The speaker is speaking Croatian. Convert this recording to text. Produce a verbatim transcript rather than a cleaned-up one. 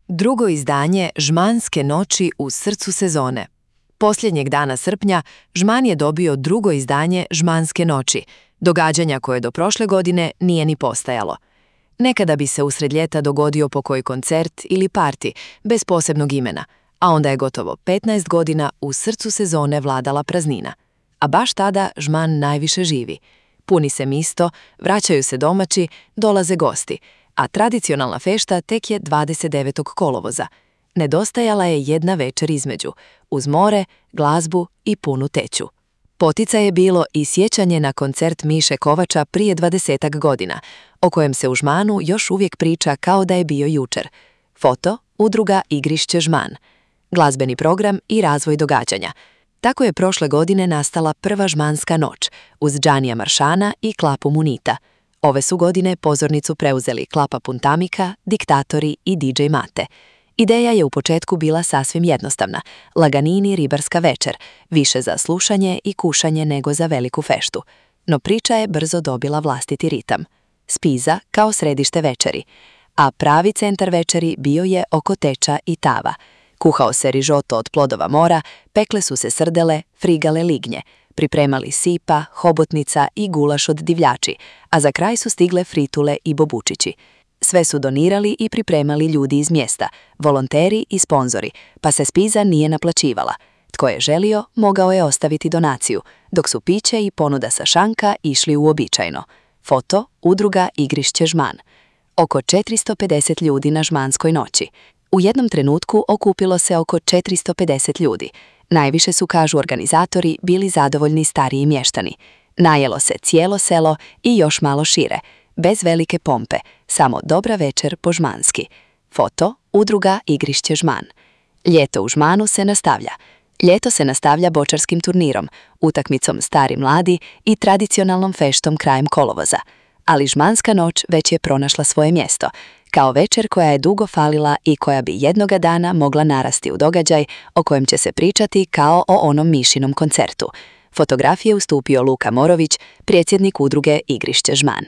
Drugo izdanje Žmanske noći u srcu sezone. Posljednjeg dana srpnja Žman je dobio drugo izdanje Žmanske noći, događanja koje do prošle godine nije ni postajalo. Nekada bi se usred ljeta dogodio pokoji koncert ili parti, bez posebnog imena, a onda je gotovo petnaest godina u srcu sezone vladala praznina. A baš tada Žman najviše živi. Puni se misto, vraćaju se domaći, dolaze gosti, a tradicionalna fešta tek je dvadeset devetog kolovoza. Nedostajala je jedna večer između, uz more, glazbu i punu teću. Potica je bilo i sjećanje na koncert Miše Kovača prije dvadesetak godina, o kojem se u Žmanu još uvijek priča kao da je bio jučer. Foto, udruga Igrišće Žman. Glazbeni program i razvoj događanja. Tako je prošle godine nastala prva Žmanska noć, uz Džanija Maršana i Klapu Munita. Ove su godine pozornicu preuzeli Klapa Puntamika, Diktatori i D J Mate. Ideja je u početku bila sasvim jednostavna, laganini ribarska večer, više za slušanje i kušanje nego za veliku feštu. No priča je brzo dobila vlastiti ritam. Spiza kao središte večeri, a pravi centar večeri bio je oko teča i tava. Kuhao se rižoto od plodova mora, pekle su se srdele, frigale lignje, pripremali sipa, hobotnica i gulaš od divljači, a za kraj su stigle fritule i bobučići. Sve su donirali i pripremali ljudi iz mjesta, volonteri i sponzori, pa se spiza nije naplaćivala. Tko je želio, mogao je ostaviti donaciju, dok su piće i ponuda sa šanka išli uobičajeno. Foto, udruga Igrišće Žman. Oko četiristo pedeset ljudi na Žmanskoj noći. U jednom trenutku okupilo se oko četiristo pedeset ljudi. Najviše su, kažu organizatori, bili zadovoljni stariji mještani. Najelo se cijelo selo i još malo šire, bez velike pompe, samo dobra večer po žmanski. Foto, udruga Igrišće Žman. Ljeto u Žmanu se nastavlja. Ljeto se nastavlja bočarskim turnirom, utakmicom Stari mladi i tradicionalnom feštom krajem kolovoza. Ali Žmanska noć već je pronašla svoje mjesto, kao večer koja je dugo falila i koja bi jednoga dana mogla narasti u događaj o kojem će se pričati kao o onom Mišinom koncertu. Fotografije ustupio Luka Morović, predsjednik udruge Igrišće Žman.